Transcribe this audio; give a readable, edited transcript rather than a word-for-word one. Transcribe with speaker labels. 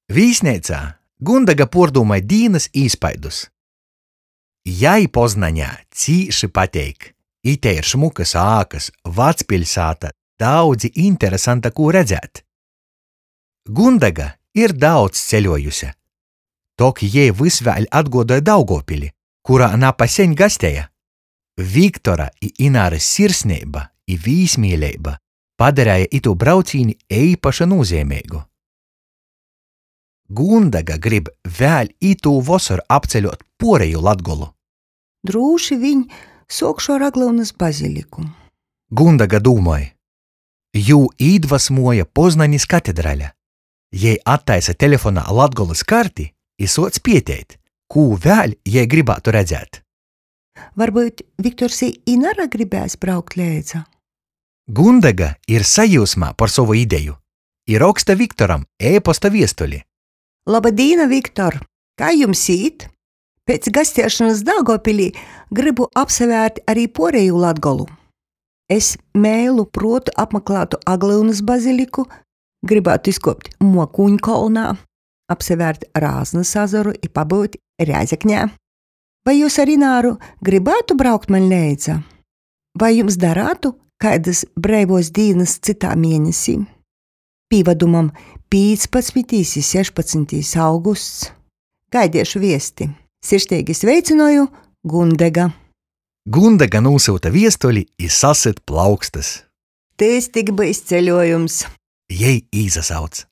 Speaker 1: Vīsneicā Gundega puordūmoj dīnys īspaidus. Jai Poznaņā cīši pateik. Ite ir šmukys ākys, vacpiļsāta, daudzi interesanta kū redzēt. Gundega ir daudz ceļuojuse, tok jei vys vēļ atguodoj Daugovpili, kurā napaseņ gasteja. Viktora i Inārys sirsneiba i vīsmīleiba padareja itū braucīni eipaši nūzeimeigu. Gundega grib vēļ itū vosoru apceļuot puorejū Latgolu.
Speaker 2: Drūši viņ suokšu ar Aglyunys baziliku.
Speaker 1: Gundega dūmoj. Jū īdvasmuoja Poznanis katedrale. Jei attaisa telefonā Latgolys karti i suoc pieteit, kū vēļ jei grybātu redzēt.
Speaker 2: Varbyut Viktors i Inara gribēs braukt leidza?
Speaker 1: Gundega ir sajiusmā par sovu ideju i roksta Viktoram e-posta viestuli.
Speaker 2: Loba dīna, Viktor! Kai jums īt? Pēc gastiešonys Daugovpilī grybu apsavērt ari puorejū Latgolu. Es meilu pruotu apmaklātu Aglyunys baziliku, grybātu izkuopt Muokūņkolnā, apsavērt Rāznys azaru i pabyut Rēzeknē. Vai jūs ar Ināru grybātu braukt maņ leidza? Vai jums darātu kaidys breivuos dīnys cytā mienesī? Pīvadumam, 15. i 16. augusts. Gaidiešu viesti. Sirsneigi sveicynoju, Gundega.
Speaker 1: Gundega nūsyuta viestuli i sasyt plaukstys.
Speaker 2: Tys tik byus ceļuojums!
Speaker 1: Jei īsasauc.